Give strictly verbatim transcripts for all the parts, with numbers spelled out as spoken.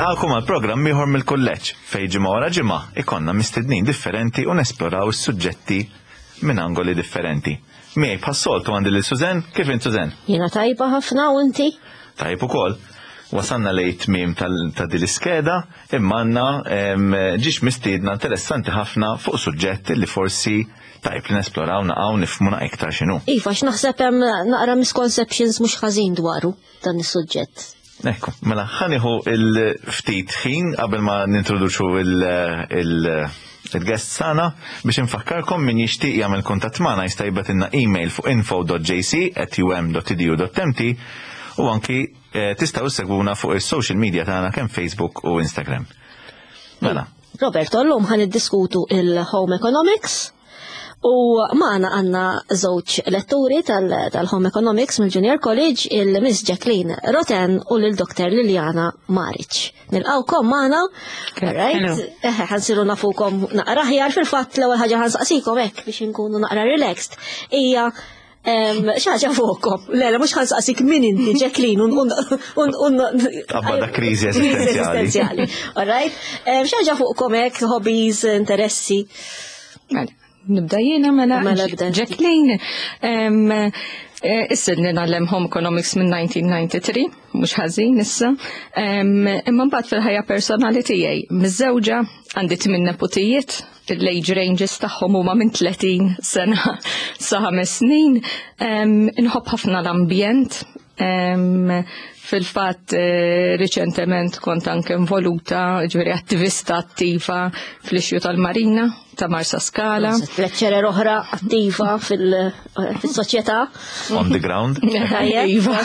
Nilqagħkom għal programm ieħor mill-kulleġġ fejn ġimgħa wara ġimgħa ikollna mistednin differenti u nesploraw is-suġġetti minn angoli differenti. Miegħi bħas-soltu għandi lil Suzen, kif int, Suzen? Jiena tajba ħafna, u inti? Tajb ukoll. Wasanna lejn tmiem ta' din l-iskeda, imma għandna żewġ mistiedna interessanti ħafna fuq suġġett li forsi tajb li nesploraw naqaw nifhmu iktar x'inhu. Iva, x'naħseb hemm naqra misconceptions mhux ħażin dwaru dan is-suġġett. Ekku, mela ħa nieħu il-ftit ħin qabel ma nintroduċu il-guest tagħna biex infakkarkom: min jixtieq jagħmel kuntatt magħna jista' jibgħatilna email fuq info dot J C at U M dot edu dot M T u anki eh, tistgħu ssegwuna fuq is-social media tagħna, kemm Facebook u Instagram. Mela. Roberto, llum ħa niddiskutu il-Home Economics u magħna għandna żewġ letturi tal-Home Economics mill-Junior College, il-Miss Jacqueline Roten u l-Doktor Liliana Maric. Nilqgħukom magħna, right? Ħa nsiru nafukom naqra aħjar. Fil-fatt, l-ewwel ħaġa ħa nsaqsikom hekk biex nkunu naqra relaxed hija xi ħaġa fuqkom. Le, le, mhux ħa nsaqsik min inti, Jacqueline, un Abba da kriżi eżistenzjali. All right? Xi ħaġa fuqkom hekk, hobbies, interessi. Mela, nibda jiena mela. Mela, bda. Jacqueline, issa ngħallem Home Economics minn elf disa' mija u tnejn u disgħin, mhux ħażin issa. Imma mbagħad fil-ħajja personali tiegħi, miżżewġa, għandi tmien neputijiet, l-age ranges tagħhom huma minn tletin sena sa ħames snin. Inħobb ħafna l-ambjent. Fil-fatt, eh, riċentement kont anke involuta, ġifieri attivista attiva fl-issue tal-Marina ta' Marsa Skala. Lecturer oħra attiva fil-soċjetà. On the ground. Iva.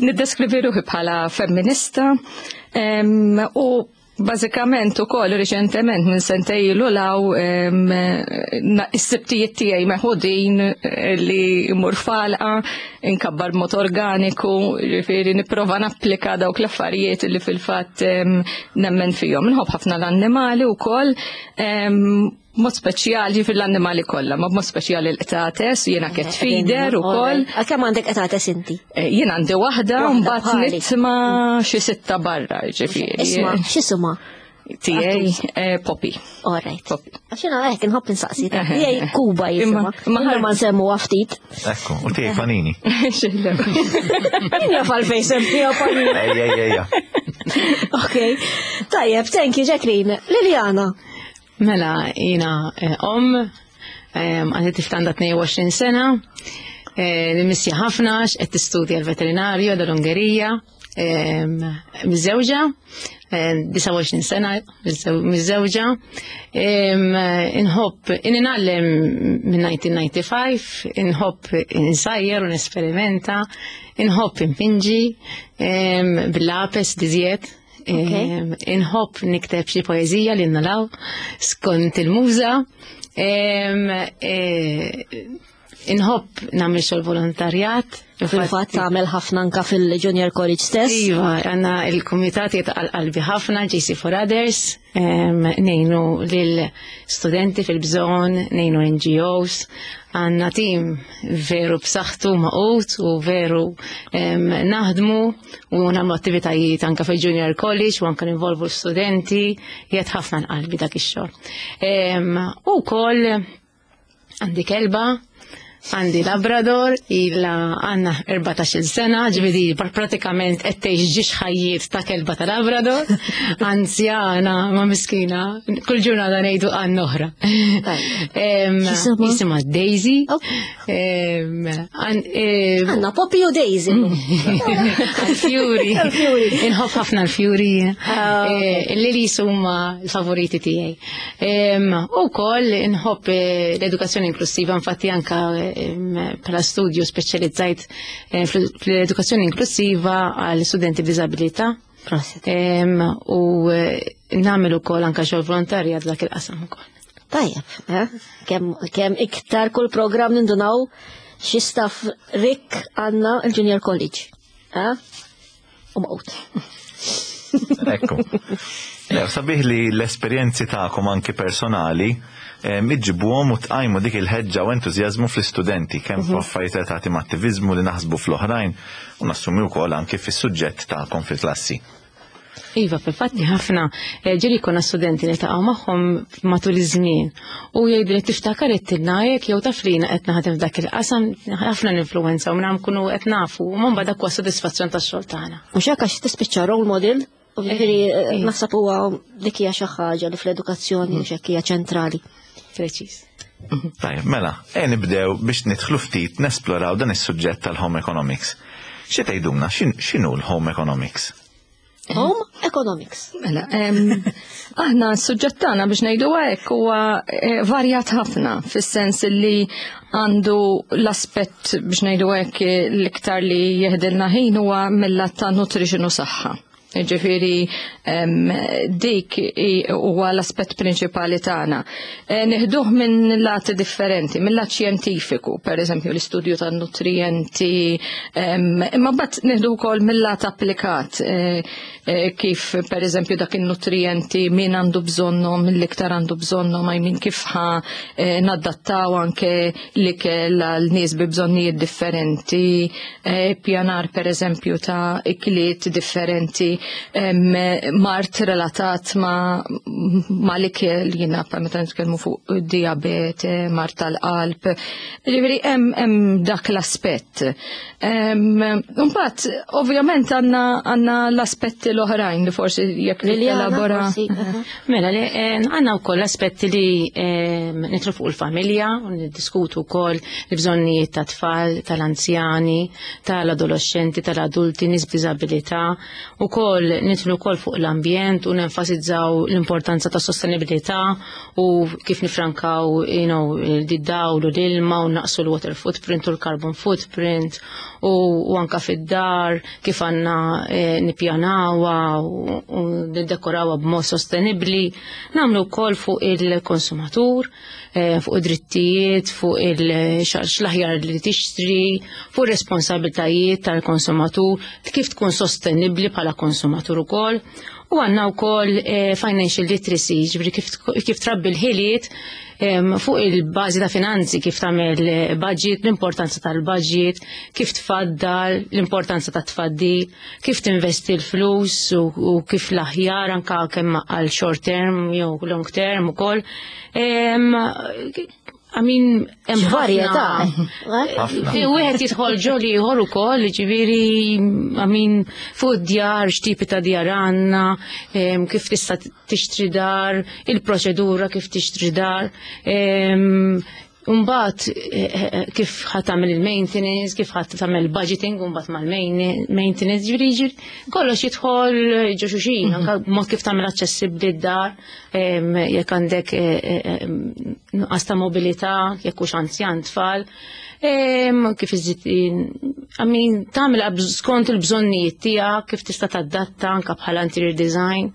Niddeskrivi ruħi bħala femminista u bażikament ukoll riċentement minn sentejn ilu law is-sibtijiet tiegħi meħudin li mmur f'għalqa, inkabbar mod organiku, ġifieri nipprova napplika dawk l-affarijiet li fil-fatt nemmen fihom. Nħobb ħafna l-annimali wkoll, mod speċjali fil-annimali kollha, ma mod speċjali l-qtates, jiena cat feeder ukoll. Kemm għandek qtates inti? Eh, jien għandi waħda, mbagħad nitma' xi sitta barra, ġifieri. Isma', x'isma? Tiegħi eh, Poppy. All right. Poppy. Għax jiena hekk inħobb insaqsi. Tiegħi Kuba jisimha. Ma ma nsemmu ftit. Ekku, u tiegħi Panini. Min jaf għalfejn semmiha Panini? Ejja, ejja, ejja. Ok. Tajjeb, thank you, Jacqueline. Liliana. Mela, jiena eh, om, għandi tifla għandha tnejn u għoxrin sena, eh, nimmissja ħafna, qed tistudja l-veterinarju dal-Ungerija, miżżewġa, disgħa u għoxrin sena miżżewġa. Inħobb, ngħallem minn elf disa' mija u ħamsa u disgħin, inħobb insajjer u nesperimenta, inħobb inpinġi bil-lapes diżjed. Inħobb nikteb xi poeżija li nalaw skont il-muża. E, inħobb nagħmel xogħol volontarjat. Fil-fatt tagħmel ħafna anka fil-Junior College stess. Iva, għandna il-kumitat għal qalbi ħafna, J C for Others, ngħinu lil studenti fil-bżonn, ngħinu N G Os, għandna tim veru b'saħħtu magħqud u veru naħdmu u nagħmlu attivitajiet anka fil-Junior College u anka ninvolvu l-studenti, jgħid ħafna qalbi dak ix-xogħol. U wkoll għandi kelba, għandi Labrador, ila għandha erbatax-il sena, ġifieri pratikament qed tgħix żewġ ħajjiet ta' kelba ta' Labrador, anzjana, ma miskina, kull ġurnata ngħidu għan oħra. Jisimha Daisy. Għandna Poppy u Daisy. Fjuri. Inħobb ħafna l-fjuri. Ah, eh, Lilies huma l-favoriti tiegħi. U wkoll inħobb eh, l-edukazzjoni inklusiva, infatti anka bħala studju speċjalizzajt eh, fl-edukazzjoni inklusiva għal studenti b'diżabilità. U eh, nagħmel ukoll anka xogħol volontarja dak il-qasam ukoll. Tajjeb, eh? kemm iktar kull programm nindunaw xi staff rik għandna il-Junior College. U maqut. Ekku. Sabiħ li l-esperjenzi tagħkom anki personali iġġibuhom u tqajmu dik il-ħeġġa u entużjażmu fl-istudenti, kemm mhm. f'affarijiet relatati ma' attiviżmu li naħsbu fl-oħrajn u nassumi wkoll anki fis-suġġett tagħkom fil-klassi. Iva, fil-fatti ħafna eh, ġieli konna studenti li taqgħu magħhom matul iż-żmien u jgħidu li tiftakar għedtilna hekk jew taf li jiena qed naħdem f'dak il-qasam, ħafna ninfluwenza u minn nkunu qed nafu u mbagħad dak huwa sodisfazzjon tax-xogħol tagħna. Mhux hekk, għax tispiċċa role model, u ġifieri eh, eh. naħseb huwa dik hija xi ħaġa li fl-edukazzjoni mhux hekk hija ċentrali. Preċiż. Tajjeb, mela, e nibdew biex nidħlu ftit nesploraw dan is-suġġett tal-home economics. Xi tgħidulna, x'in- x'inhu l-home economics? Home economics. Mela, em, aħna s-suġġett tagħna, biex ngħidu hekk, huwa eh, varjat ħafna fis-sens li għandu l-aspett, biex ngħidu hekk, l-iktar li jeħdilna ħin huwa mill-lat ta' nutrition u saħħa. Ġifieri em, dik i- huwa l-aspett prinċipali tagħna. E, Nieħduh minn lati differenti, minn lat xjentifiku, per eżempju l-istudju tan-nutrienti, em, imma mbagħad nieħdu wkoll mill-lat applikat, e, e, kif per eżempju dak in-nutrienti min għandu bżonnhom, l-iktar għandu bżonnhom, I mean, kif ħa e, nadattaw anke l-ikel għal nies bi bżonnijiet differenti, e, pjanar per eżempju ta' ikliet differenti, em, mard relatat ma, ma l-ikel, jiena pa meta nitkellmu fuq diabete, mard tal-qalb, ġifieri hemm hemm dak l-aspett. Mbagħad ovvjament għandna għandna l-aspetti l-oħrajn li forsi jekk Liliana, elabora. forsi, aha. Mela, li, eh, għandna wkoll aspetti li eh, nidħlu fuq il-familja, u niddiskutu wkoll il-bżonnijiet ta' tfal, tal-anzjani, tal-adolescenti, tal-adulti, nies b'diżabilità, ukoll nidħlu wkoll fuq l-ambjent u nenfasizzaw l-importanza ta' sostenibilità u kif nifrankaw you know, id-dawl u l-ilma u naqsu l-water footprint u l-carbon footprint u, u anka fid-dar kif għandna eh, nippjanawha u, u niddekorawha b'mod sostenibli. Nagħmlu wkoll fuq il-konsumatur, eh, fuq id-drittijiet, fuq il-x'l-aħjar li tixtri, fuq responsabiltajiet tal-konsumatur, kif tkun sostenibli bħala konsumatur ukoll. U għandna wkoll eh, financial literacy, ġifieri kif, kif trabbi l-ħiliet em, fuq il-bażi ta' finanzi, kif tagħmel eh, budget, l-importanza tal-budget, kif tfaddal, l-importanza ta' tfaddil, kif tinvesti l-flus u, u kif l-aħjar anka kemm għal short term jew long term ukoll. Em, I mean, hemm Varjetà. Ħafna. Wieħed jidħol ġol ieħor ukoll, ġifieri, I mean, fuq djar, x'tipi ta' djar għandna, em, kif tista' tixtri dar, il-proċedura kif tixtri dar. em, Mbagħad eh, eh, kif ħa tagħmel il-maintenance, kif ħa tagħmel budgeting, mbagħad mal-maintenance, ġifieri ġifieri kollox jidħol ġo xulxin, anke mod kif tagħmel aċċessibbli d-dar, em, jekk għandek eh, eh, em, nuqqas ta' mobilità, jekk hux anzjan, tfal. Em, kif iżid, I mean, tagħmel skont il-bżonnijiet tiegħek, kif tista' tadatta anke bħala interior design.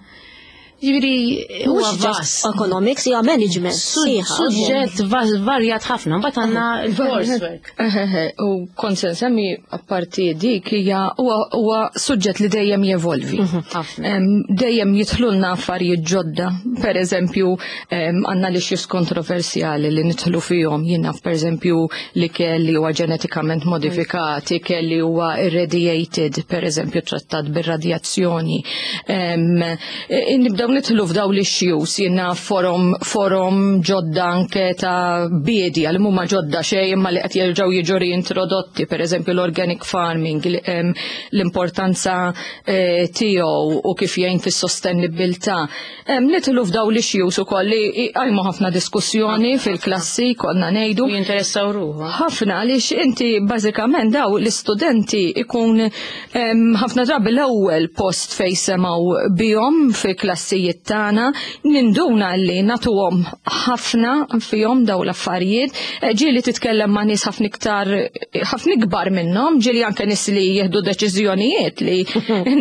Ġifieri huwa Mhux just vast. economics, hija management. Sħiħa. Suġġett va- varjat ħafna, mbagħad għandna il-coursework. Eħeħe, u kont se nsemmi apparti dik hija huwa huwa suġġett li dejjem jevolvi. Ħafna. Em, Dejjem jidħlulna affarijiet ġodda. Per eżempju, em, għandna l-issues kontroversjali li nidħlu fihom, jiena per eżempju li kelli huwa ġenetikament modifikat, ikel li huwa irradiated, per eżempju trattat bir-radjazzjoni. Em, e, Nibdew nidħlu f'daw l-issues, jiena forom forom ġodda anke ta' biedja li mhuma ġodda xejn imma li qed jerġgħu jiġu reintrodotti, per eżempju l-organic farming, l- em, l-importanza eh, tiegħu u kif jgħin fis-sostenibilità. Em, Nidħlu f'daw l-issues ukoll li qajmu ħafna diskussjoni fil-klassi, konna ngħidu. U jinteressaw ruħu. Ħafna, għaliex inti bażikament daw l-istudenti ikun em, ħafna drabi l-ewwel post fejn semgħu bihom fi klassijiet tagħna, ninduna li nagħtuhom ħafna fihom daw l-affarijiet. Eh, Ġieli titkellem ma' nies ħafna iktar, ħafna ikbar minnhom, ġieli anke nies li jieħdu deċiżjonijiet li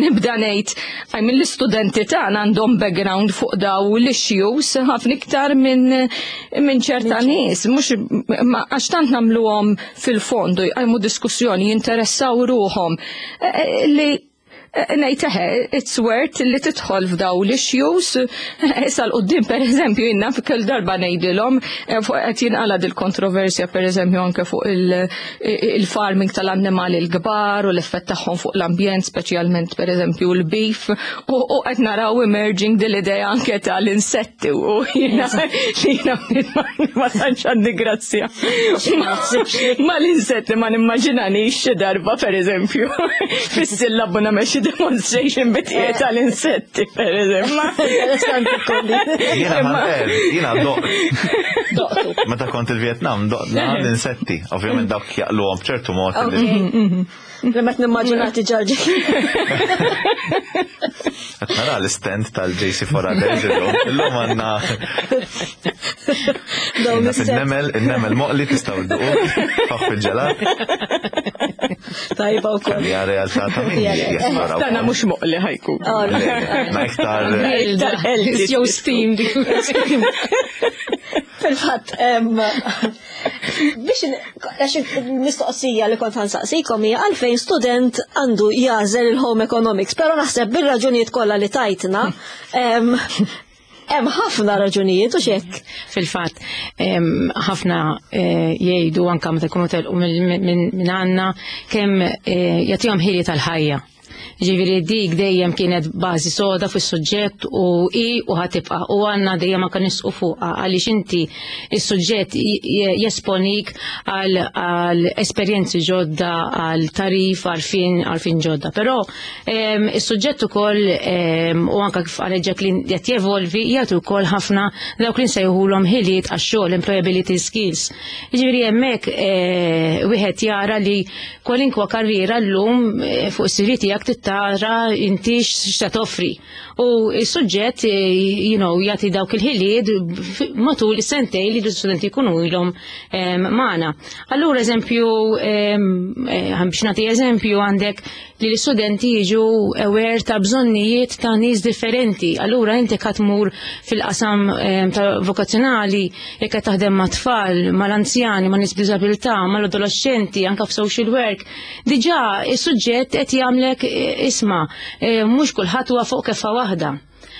nibda ngħid għaj mill-istudenti tagħna għandhom background fuq daw l-issues ħafna iktar minn minn ċerta nies, mhux ma għax tant nagħmluhom fil-fondu, jqajmu diskussjoni, jinteressaw ruħhom eh, eh, li Ngħid eħe, it's worth li tidħol f'daw l-issues. Issa 'l quddiem, per eżempju, jiena kull darba ngħidilhom eh, fuq qed jinqala dil-kontroversja, per eżempju, anke fuq il-farming tal-annimali l-kbar u l-effett tagħhom fuq l-ambjent, speċjalment per eżempju l-beef, u qed naraw emerging dil-idea anke tal-insetti u jiena li jiena ma tantx għandi grazzja ma l-insetti, ma nimmaġinanix xi darba, per eżempju, fis-sillabu nagħmel xi demonstration bit tal-insetti, per eżempju. Jiena ħanter, jiena doqt. Meta kont il-Vietnam, doqna l-insetti. Ovvjament dawk jaqluhom b'ċertu mod. Li met nimmaġinati ġarġi. Qed nara l-stand tal-J C for Others illum. Illum għandna Dawn il-nemel, il-nemel moqli tistgħu dduqu, faħ fil-ġelat. Tajba wkoll. Hija realtà ta' min jesploraw. Tana mhux moqli ħa jkun. Ma iktar. Jew steamed. Fil-fatt, biex għax il-mistoqsija li kont ħa nsaqsikom hija għalfejn student għandu jagħżel il-home economics, pero naħseb bir-raġunijiet kollha li tajtna, hemm ħafna raġunijiet u xek. Fil-fatt, ħafna eh, jgħidu anka meta jkunu telqu minn għandna kemm eh, jagħtihom ħili tal-ħajja. Ġifieri dik dejjem kienet bażi soda fis-suġġett u i u ħa tibqa' u għandna dejjem anke nisqu fuqha, għaliex inti is-suġġett jesponik għal esperjenzi ġodda, għal tarif, għarfien għarfien ġodda. Però is-suġġett ukoll, u anke kif qalet Jacqueline, qed jevolvi, jagħti wkoll ħafna dawk li nsejħulhom ħiliet għax-xogħol, employability skills. Ġifieri hemmhekk eh, wieħed jara li kwalinkwa karriera llum eh, fuq is-C V tiegħek tara inti x'ta toffri. U s-suġġett eh, you know, jagħti dawk il-ħiliet matul is-sentej li l-studenti jkunu ilhom magħna. Allura, eżempju, biex nagħti eżempju, għandek li l-istudenti jiġu aware ta' bżonnijiet ta' nies differenti. Allura inti tmur fil-qasam ta' vokazzjonali, jekk qed taħdem ma' tfal, mal-anzjani, ma' nies b'diżabilità, mal-adolescenti, anka f'social work, diġà is-suġġett qed jagħmlek, isma', mhux kulħadd huwa fuq kefa waħda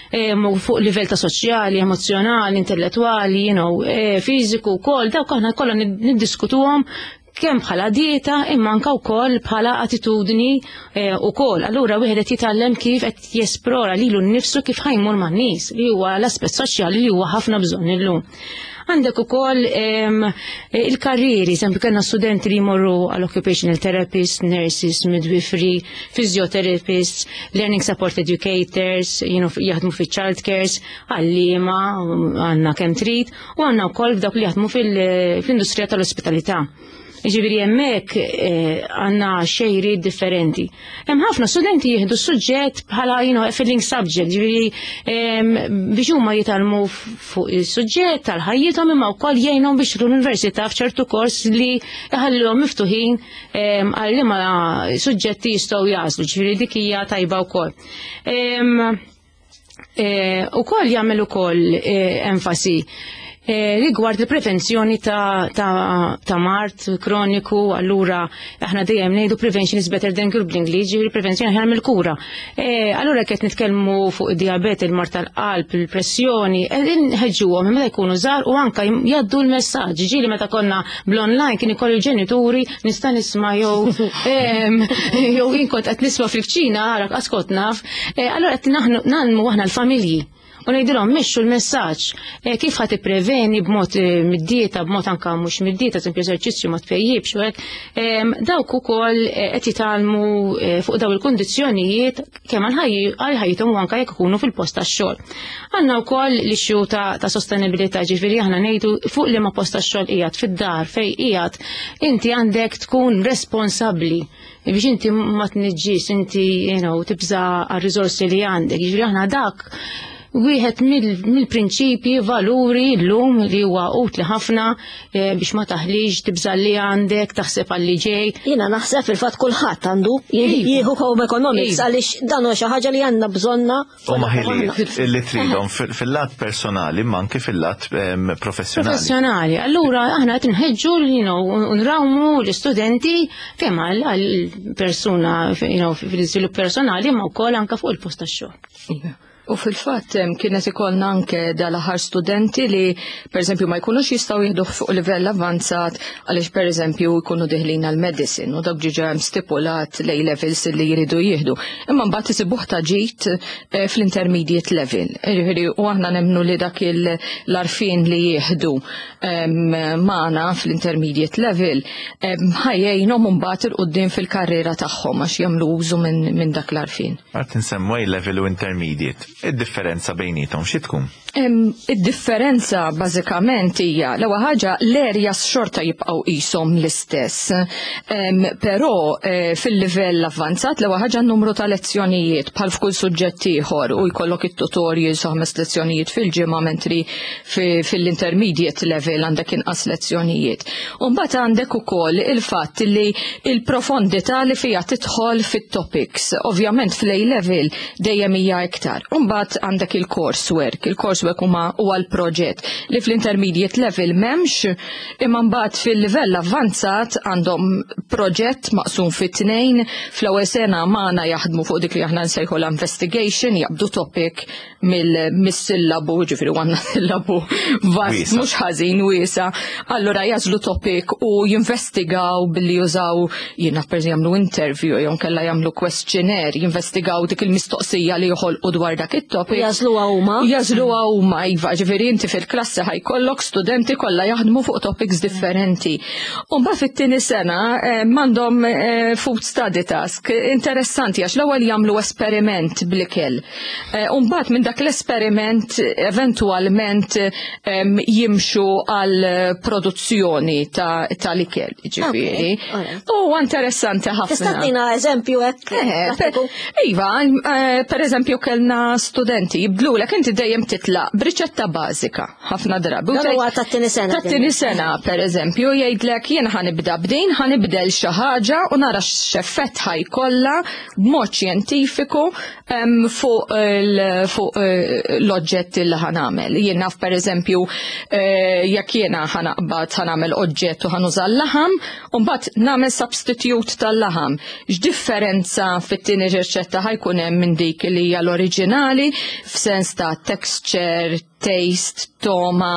fuq livell ta' soċjali, emozjonali, intellettuali, you know, fiżiku wkoll, dawk aħna kollha niddiskutuhom kemm bħala dieta imma anka wkoll bħala attitudni ukoll. Allura wieħed qed jitgħallem kif qed jesplora lilu nnifsu, kif ħa jmur man-nies, li huwa l-aspett soċjali li huwa ħafna bżonn illum. Għandek ukoll il-karrieri, eżempju, kellna studenti li jmorru għal occupational therapists, nurses, midwifery, physiotherapists, learning support educators, you know, jaħdmu fi child cares, għalliema, għandna kemm trid, u għandna wkoll dawk li jaħdmu fil-industrija tal-ospitalità. Ġifieri hemmhekk eh, għandna xejri differenti. Hemm ħafna studenti jieħdu suġġett bħala you know, filling subject, ġifieri biex huma jitgħallmu fuq is-suġġett tal-ħajjithom imma wkoll jgħinhom biex l-università f'ċertu kors li jħallihom miftuħin għal liema suġġetti jistgħu jagħżlu, ġifieri dik hija tajba wkoll. Eh, ukoll jagħmel ukoll eh, enfasi Eh, rigward il-prevenzjoni ta', ta, ta mard kroniku. Allura aħna dejjem ngħidu "prevention is better than cure" bl-Ingliż, ġifieri prevenzjoni aħjar mill-kura. Eh, allura qed nitkellmu fuq id-diabete, il-mard tal-qalb, il-pressjoni, qegħdin nħeġġuhom meta jkunu żgħar u anka jgħaddu l-messaġġ. Ġieli meta konna bl-online kien ikollu l-ġenituri nista' nisma' jew jew jien kont qed nisma' fil-kċina, arak askot naf. Eh, allura qed ngħallmu aħna l-familji u ngħidilhom mexxu l-messaġġ eh, kif ħa tippreveni b'mod eh, mid-dieta, b'mod anka mhux mid-dieta, eżempju eżerċizzju, ma tpejjibx u hekk. Dawk ukoll eh, qed jitgħallmu fuq daw il-kundizzjonijiet kemm għal ħajjithom u anka jekk ikunu fil-post tax-xogħol. Għandna wkoll l-issue ta', ta sostenibilità, ġifieri aħna ngħidu fuq liema post tax-xogħol qiegħed, fid-dar fejn qiegħed, inti għandek tkun responsabbli biex inti ma tniġġis, inti you know, tibża għal-riżorsi li għandek. Ġifieri aħna dak wieħed mill-prinċipji, valuri llum li huwa utli ħafna eh, biex ma taħlix, tibża' li għandek, taħseb għal li ġej. Jiena naħseb fil-fatt kulħadd għandu jieħu home economics Iva. għaliex dan huwa xi ħaġa li għandna bżonna. U ma ħiliet li tridhom fil-lat personali ma anke fil-lat em, professjonali. Professjonali. Allura aħna qed nħeġġu you know, nrawmu l-istudenti kemm għal għal persuna you know, fil-iżvilupp personali ma wkoll anke fuq il-post tax-xogħol. Iva. U fil-fatt em, kienet ikollna anke dal-aħħar studenti li pereżempju ma jkunux jistgħu jieħdu fuq livell avanzat għaliex pereżempju jkunu deħlin għal medicine u dak diġà hemm stipulat l levels li jridu jieħdu. Imma mbagħad isibuh ta' ġid eh, fl-intermediate level. Jiġifieri u aħna nemmnu li dak l-għarfien li jieħdu em, magħna fl-intermediate level em, ħa jgħinhom mbagħad 'il quddiem fil-karriera tagħhom għax jagħmlu użu minn min dak l-għarfien. Għart nsemmu A level u intermediate. Id-differenza bejnietom xi tkun? Em, Id-differenza bażikament hija l-ewwel ħaġa l-areas xorta jibqgħu qishom l-istess. Em, Però eh, fil-livell avvanzat l-ewwel ħaġa n-numru ta' lezzjonijiet bħal f'kull suġġett ieħor u jkollok it-tutorials u ħames lezzjonijiet fil-ġimgħa mentri fi- fil-intermediate level għandek inqas lezzjonijiet. U mbagħad għandek ukoll il-fatt li il-profondità li fija tidħol fit-topics. Ovvjament fl-A level dejjem hija iktar. U mbagħad għandek il-coursework. Il-coursework huma huwa l-proġett li fl-intermediate level m'hemmx, imma mbagħad fil-livell avvanzat għandhom proġett maqsum fit tnejn. Fl-ewwel sena magħna jaħdmu fuq dik li aħna nsejħu l-investigation, jaqbdu topic mill-sillabu, ġifieri għandna sillabu vast, Wiesa. mhux ħażin wiesa. Allura jażlu topic u jinvestigaw billi jużaw jiena per jagħmlu interview jew kella jagħmlu questionnaire, jinvestigaw dik il-mistoqsija li joħolqu dwar dak it-topic. Jażluha huma. Jażluha huma, iva, ġifieri inti fil-klassi ħa jkollok studenti kollha jaħdmu fuq topics differenti. U mbagħad fit-tieni sena eh, m'għandhom eh, food study task interessanti għax l-ewwel jagħmlu esperiment bl-ikel. Eh, U mbagħad minn dak l-esperiment eventualment em, jimxu għal produzzjoni ta' tal-ikel, ġifieri. Okay, alright. U interessanti ħafna. Tista' ttina eżempju hekk? Eh, per, prattiku? iva, eh, per eżempju kellna studenti jibdlulek inti dejjem titlaq b'riċetta bażika ħafna drabi. U Dan tgħid- huwa tat-tieni sena. Tat-tieni sena, per eżempju, jgħidlek jien ħa nibda b'din, ħa nibdel xi ħaġa u nara x'effett ħa jkollha b'mod xjentifiku em, fuq il- fuq eh, l-oġġett li ħa nagħmel. Jien naf per eżempju eh, jekk jiena ħa naqbad ħa nagħmel oġġett u ħa nuża l-laħam, u mbagħad nagħmel substitute tal-laħam. X'differenza fit-tieni riċetta ħa jkun hemm minn dik li hija l-oriġinali f'sens ta' texture, taste, togħma,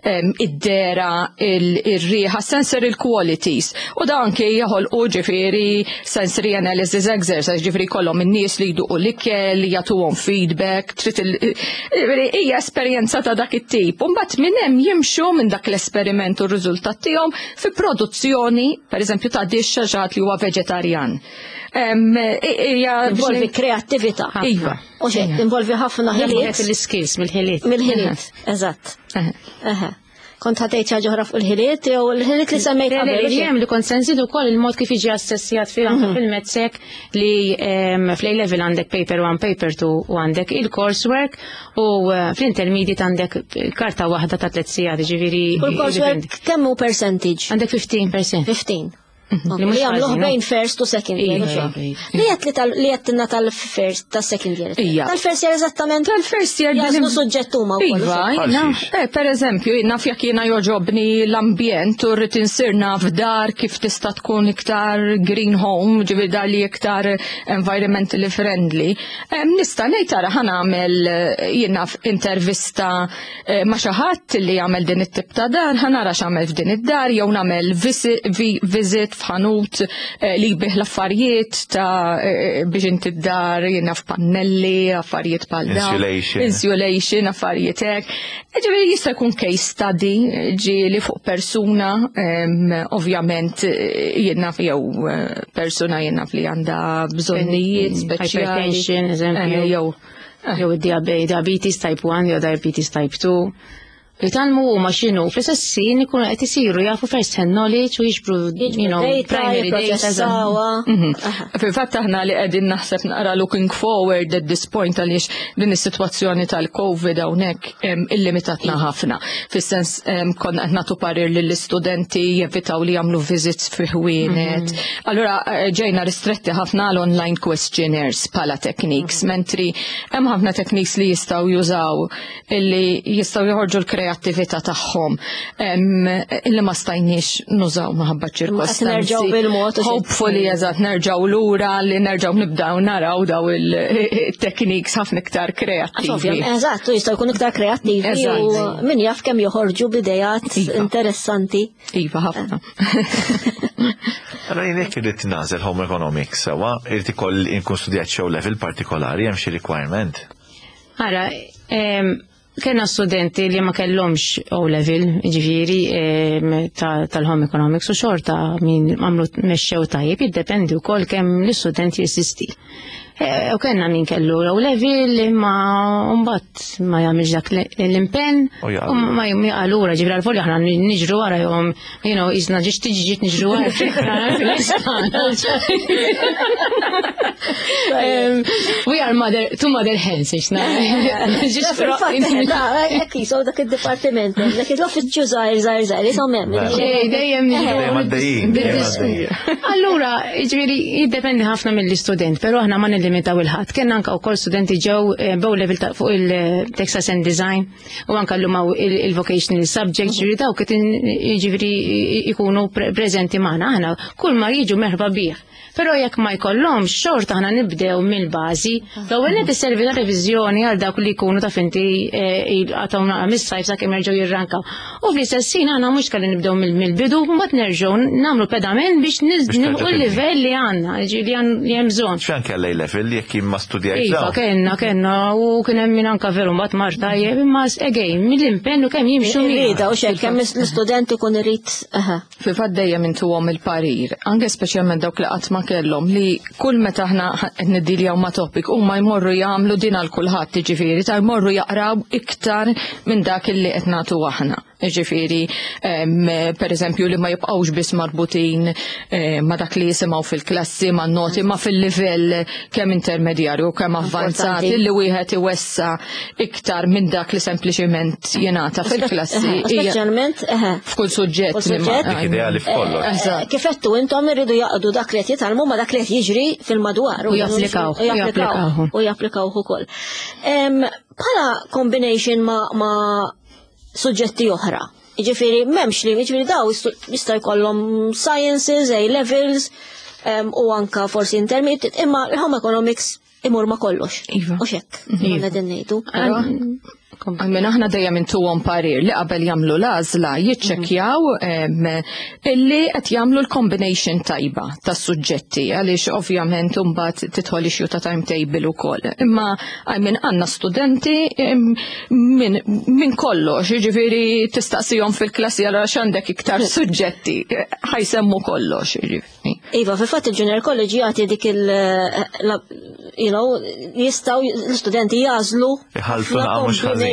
em, id-dehra, il-riħa, sensory qualities. U da anke joħolqu ġifieri sensory analysis exercise, ġifieri kollhom in-nies li jduqu l-ikel, jagħtuhom feedback, trid il- ġifieri hija esperjenza ta' dak it-tip. U mbagħad minn hemm jimxu minn dak l-esperiment u r-riżultat tiegħhom fi produzzjoni, pereżempju ta' dish xi ħadd li huwa veġetarjan. Em, Hija Involvi kreattività. Iva. U xejn, involvi ħafna ħiliet. Il-skills mill-ħiliet. Mill-ħiliet, eżatt. Eħe. Kont ħa tgħid xi ħaġa oħra fuq il-ħiliet jew il-ħiliet li semmejt Le, le, qabel. li hemm li kont se nżidu wkoll il-mod kif jiġi assessjat fil anke fil-MATSEC li em, fl-A level għandek paper one, paper two u għandek il-coursework u eh, fl-intermediate għandek karta waħda ta' tliet sigħat, ġifieri. U l-coursework kemm hu percentage? Għandek fifteen percent. fifteen. Li mhux Li jagħmluh ħażin, bejn first u second year. Iva, u xejn. iva. Li qed li tal li qed tal-first ta' second year. Ija. Tal-first year eżattament. Tal-first year Jażlu suġġett huma wkoll. Iva, u xejn. jina, Għal xiex? eh, per eżempju, jina jekk jiena joġobni l-ambjent u rrid insir naf dar kif tista' tkun iktar green home, ġifieri dar li iktar environmentally friendly. Em, Nista' ngħid tara ħa nagħmel eh, jiena intervista eh, ma' xi ħadd li jagħmel din it-tip ta' dar, ħa nara x'għamel f'din id-dar jew nagħmel visi- vi- visit f'ħanut eh, li jbigħ l-affarijiet ta' eh, biex inti d-dar jiena f'pannelli, affarijiet bħal dawn. Insulation. Insulation, affarijiet hekk. Ġifieri jista' jkun case study ġieli fuq persuna, em, ovvjament eh, jien naf jew eh, persuna jien naf li għandha bżonnijiet speċjali. Hypertension, eżempju. Eh, Jew Jew id-diabetes type one jew diabetes type two. Jitgħallmu huma x'inhu fl-istess ħin ikunu qed isiru jafu first hand knowledge u jiġbru you know, primary data. Mhm. Fil-fatt aħna li qegħdin naħseb naqra looking forward at this point għaliex din is-sitwazzjoni tal-Covid hawnhekk illimitatna ħafna. Fis-sens konna qed nagħtu parir lill-istudenti jevitaw li jagħmlu visits fi ħwienet. Mhm. Allura eh, ġejna ristretti ħafna għal online questionnaires bħala techniques, mhm. mentri hemm ħafna techniques li jistgħu jużaw illi jistgħu joħorġu l kreattività tagħhom illi ma stajniex nużaw minħabba ċirkostanzi. Nerġgħu bil-mod. Hopefully eżatt nerġgħu lura li nerġgħu nibdew naraw daw il-techniques ħafna iktar kreattivi. Eżatt, jistgħu jkunu iktar kreattivi u min jaf kemm joħorġu b'idejat iva. interessanti. Iva ħafna. Allora jien jekk irrid nagħżel home economics sewwa, irid ikolli nkun studjat xi level partikolari hemm xi requirement. Ara, Kena studenti li ma kellhomx O-level, ġifieri tal-home economics u xorta min għamlu mexxew tajjeb, jiddependi wkoll kemm l-istudent jirsisti. E, u kellna min kellu O-level imma mbagħad ma jagħmilx dak l-impenn u ma jaqalura ġifieri għal-folja aħna niġru wara jom, you know, isna ġiġ tiġi ġiet niġru wara fil-istana. We are mother, two mother hens, ixna. Jekk jisaw dak id-dipartiment, dak l-uffiċċju żgħir żgħir żgħir, jisaw hemm. Dejjem Dejjem Allura, ġifieri jiddependi ħafna mill-istudent, però aħna ma nillimitaw il-ħadd. Kenna anke wkoll studenti ġew eh, b'O level ta' fuq il-Textiles and Design u anke llum hawn il-vocational subject, ġifieri dawk qed ġifieri ikunu preżenti magħna aħna kull ma jiġu merħba bih. Però jekk ma jkollhomx xorta aħna nibdew mill-bażi. L-ewwel qed isservi ta' reviżjoni għal dawk li jkunu ta' finti għataw naqra mis-sajf sakemm jerġgħu jirrankaw. U fl-istess ħin aħna mhux kalli nibdew mill-bidu, mbagħad nerġgħu nagħmlu pedament biex nilħqu l-livell li għandna, li hemm bżonn. X'anke għal level jekk jien ma studjajt. Iva, kenna, kenna, u kien hemm min anka veru mbagħad mar tajjeb, imma again mill-impenn u kemm jimxu miegħu. U xejn kemm l-istudent ikun irid. Fil-fatt dejjem intuhom il-parir, anke speċjalment dawk li qatt ma kellhom li kull meta aħna qed niddiljaw ma' topic huma jmorru jagħmlu din għal kulħadd, jiġifieri ta' jmorru jaqraw iktar minn dak illi qed nagħtu aħna. Jiġifieri per eżempju li ma jibqgħux biss marbutin ma' dak li jisimgħu fil-klassi, ma' noti, ma' fil-livell kemm intermedjarju kemm avvanzat li wieħed iwessa iktar minn dak li sempliċiment jingħata fil-klassi. Speċjalment f'kull suġġett. Dik ideali f'kollox. Kif għedtu intom irridu jaqdu dak li qed jitgħallmu ma' dak li qed jiġri fil-madwar. U japplikaw. U japplikaw. U japplikaw ukoll. Bħala combination ma' suġġetti oħra. Jiġifieri m'hemmx li, jiġifieri daw jista' jkollhom sciences, A levels, u anka forsi intermediate, imma il-home economics imur ma kollox. Iva. U xekk, qegħdin ngħidu. Għammin aħna dejjem intuhom parir li qabel jagħmlu l-għażla jiċċekkjaw illi qed jagħmlu l-combination tajba tas-suġġetti għaliex ovvjament imbagħad tidħol issue ta' timetable ukoll. Imma għajmin għandna studenti minn kollox, jiġifieri tistaqsihom fil-klassi għal x'għandek iktar suġġetti, ħajsemmu kollox, jiġifieri. Iva, fil-fatt il-Junior College jagħti dik il you know, jistgħu l-istudenti jagħżlu Iħalltu naqa' mhux ħażin.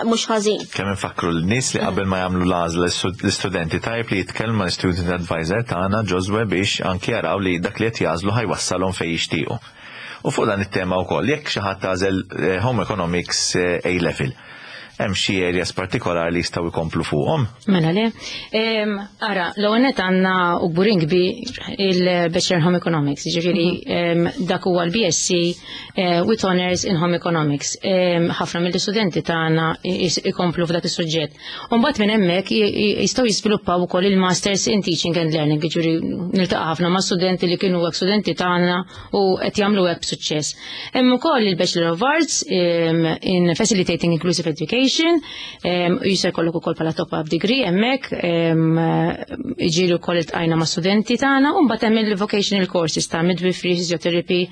Mhux ħażin. Kemm infakru l-nies li qabel ma jagħmlu l-għażla l-istudenti tajb li jitkellmu mal-student advisor tagħna Joswe biex anki jaraw li dak li qed jagħżlu ħajwassalhom fejn jixtiequ. U fuq dan it-tema wkoll jekk xi ħadd tagħżel Home Economics A level, hemm xi areas partikolari li jistgħu jkomplu fuqhom? Mela le. Ara, l-ewwel nett għandna u kburin kbir il-Bachelor Home Economics, jiġifieri dak huwa l-BSc with Honors in Home Economics. Ħafna mill-istudenti tagħna ikomplu f'dak is-suġġett. U mbagħad minn hemmhekk jistgħu jiżviluppaw ukoll il-Masters in Teaching and Learning, jiġifieri niltaqa' ħafna ma' studenti li kienu hekk studenti tagħna u qed jagħmlu hekk b'suċċess. Hemm ukoll il-Bachelor of Arts in Facilitating Inclusive Education, jista' jkollok ukoll bħala top-up degree hemmhekk, iġieli wkoll iltqajna ma' studenti tagħna, u mbagħad hemm il-vocational courses ta' midwifery, physiotherapy,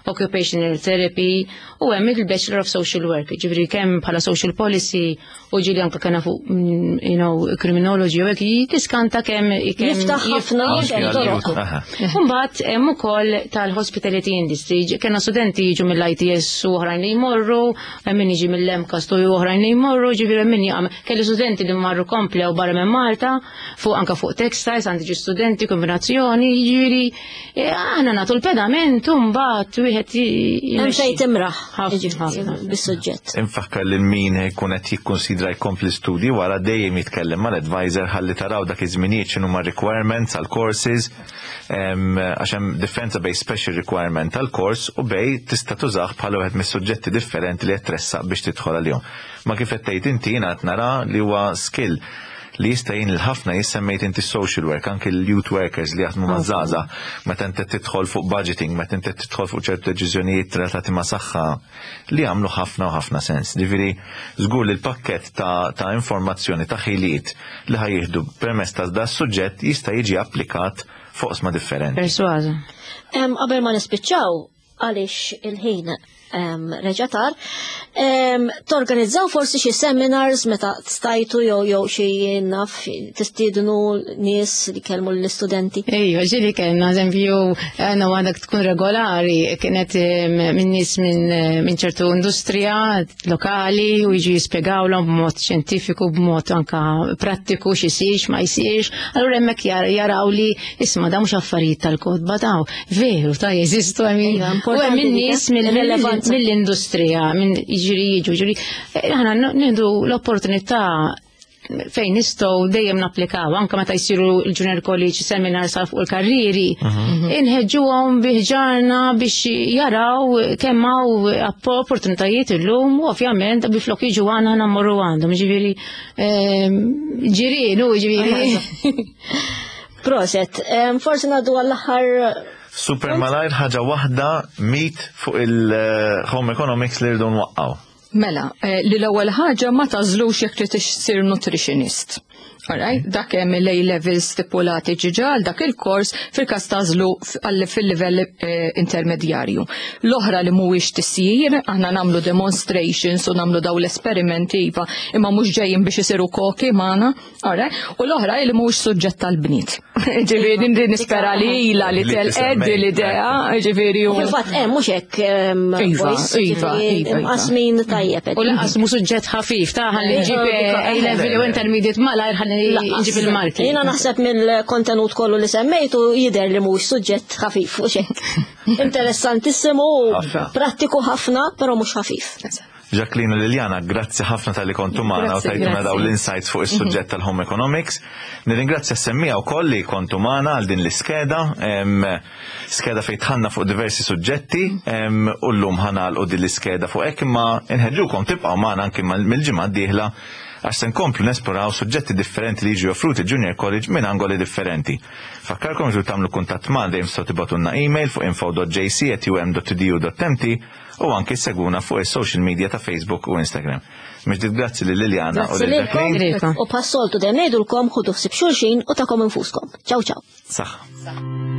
occupational therapy, u hemm il-Bachelor of Social Work, ġifieri kemm bħala social policy u ġieli anke kena fuq you know, criminology u hekk tiskanta kemm jiftaħ ħafna toroq. Mbagħad hemm ukoll tal-hospitality industry, kellna studenti jiġu mill-ITS u oħrajn li jmorru, hemm min jiġi mill-MCAST u oħrajn li jmorru, imorru, ġifieri min jaqam. Kelli studenti li marru komplew barra minn Malta, fuq anka fuq textiles, għandi ġi studenti kombinazzjoni, ġifieri eh, aħna nagħtu l-pedament u mbagħad wieħed Hemm fejn timraħ Ħafna, jiġifieri, ħafna. bis-suġġett. Infakkar lil min jkun qed jikkonsidra jkompli studji wara dejjem jitkellem mal-advisor ħalli taraw dak iż-żminijiet x'inhuma requirements għal courses em, għax hemm differenza bejn special requirement għal course u bejn tista' tużah bħala wieħed mis-suġġetti differenti li qed tressaq biex tidħol għalihom. Ma kif qed tgħid inti jiena qed nara li huwa skill li jista' jgħin lil ħafna jissemmejt inti social work, anke l-youth workers li jaħdmu ma' żgħażagħ, meta inti tidħol fuq budgeting, meta inti tidħol fuq ċertu deċiżjonijiet relatati ma' saħħa li jagħmlu ħafna u ħafna sens. Ġifieri żgur li l-pakkett ta', ta' informazzjoni ta' ħiliet li ħa jieħdu permezz ta' da' suġġett jista' jiġi applikat fuq oqsma differenti. Persważa. Em, Qabel ma nispiċċaw, għaliex il-ħin em, reġa' tar, em, torganizzaw forsi xi seminars meta stajtu jew jew xi naf tistiednu nies li kellmu l-istudenti. Ejja, ġieli kellna, eżempju, għana għadak tkun regolari, kienet em, minn nies minn minn ċertu industrija lokali u jiġu jispjegawlhom b'mod xjentifiku, b'mod anka prattiku x'isir, x'ma jsirx. Allura hemmhekk jar- jaraw li isma' da mhux affarijiet tal-kotba daw, veru ta' jeżistu hemm Ejja, u importanti hemm dik, nies eh? mill- Il-relevanza. mill-industrija, minn jiġri jiġu, ġifieri, eh, aħna nieħdu l-opportunità fejn nistgħu dejjem napplikaw, anke meta jsiru l-Junior College seminars għal fuq il-karriri, inħeġġuhom biħġarna biex jaraw kemm hawn opportunitajiet illum u ovvjament biflok jiġu għandna aħna mmorru għandhom, ġifieri ehm, ġirien, u ġifieri. Proset, em, forsi ngħaddu għall-aħħar Super malajr ħaġa waħda mit fuq il-home economics li rridu nwaqqaw. Mela, eh, li l-ewwel ħaġa ma tagħżlux jekk trid issir nutritionist. Alright, dak hemm il-A levels stipulati ġiġa għal dak il-kors fil-każ tagħżlu f- għal fil-livell eh, intermedjarju. L-oħra li mhuwiex tisjir, aħna nagħmlu demonstrations u nagħmlu daw l-esperimenti iva, imma mhux ġejjin biex isiru koki magħna, alright? U l-oħra li mhuwiex suġġett tal-bniet. Ġifieri nispera li ilha li Li telqed tisemmej, l-idea, ġifieri u Fil-fatt hemm mhux hekk em, Iva, boys, iva, ġifieri, iva, iva. imqasmin tajjeb. U lanqas mu suġġett ħafif ta' ħalli nġib A level u intermediate malajr ħalli nġib il-marki. Jiena naħseb mill-kontenut kollu li semmejtu jidher li mhux suġġett ħafif u xek. Interessantissimu, Ħafna. prattiku ħafna, però mhux ħafif. Jacqueline u Liliana, grazzi ħafna talli kontu magħna u Grazzi, tajtuna grazzi. daw l-insights fuq is-suġġett tal-home economics. Nirringrazzja s-semmiegħa wkoll li kontu magħna għal din l-iskeda, em, skeda fejn dħalna fuq diversi suġġetti, em, u llum ħa nagħlqu din l-iskeda fuq hekk imma nħeġġukom tibqgħu magħna anke mal- mill-ġimgħa d-dieħla għax se nkomplu nesploraw suġġetti differenti li jiġu offruti Junior College minn angoli differenti. Fakkarkom ġu tagħmlu kuntatt ma' dejjem tistgħu tibagħtulna email fuq info dot J C at U M dot E D U dot M T u anke seguna fuq is-social media ta' Facebook u Instagram. Mill-ġdid grazzi lil Liliana u Grazzi lil Jacqueline. lilkom Lilkom. u bħas-soltu dejjem ngħidulkom ħudu ħsieb xulxin u tagħkom infuskom. Ciao ciao. Saħ.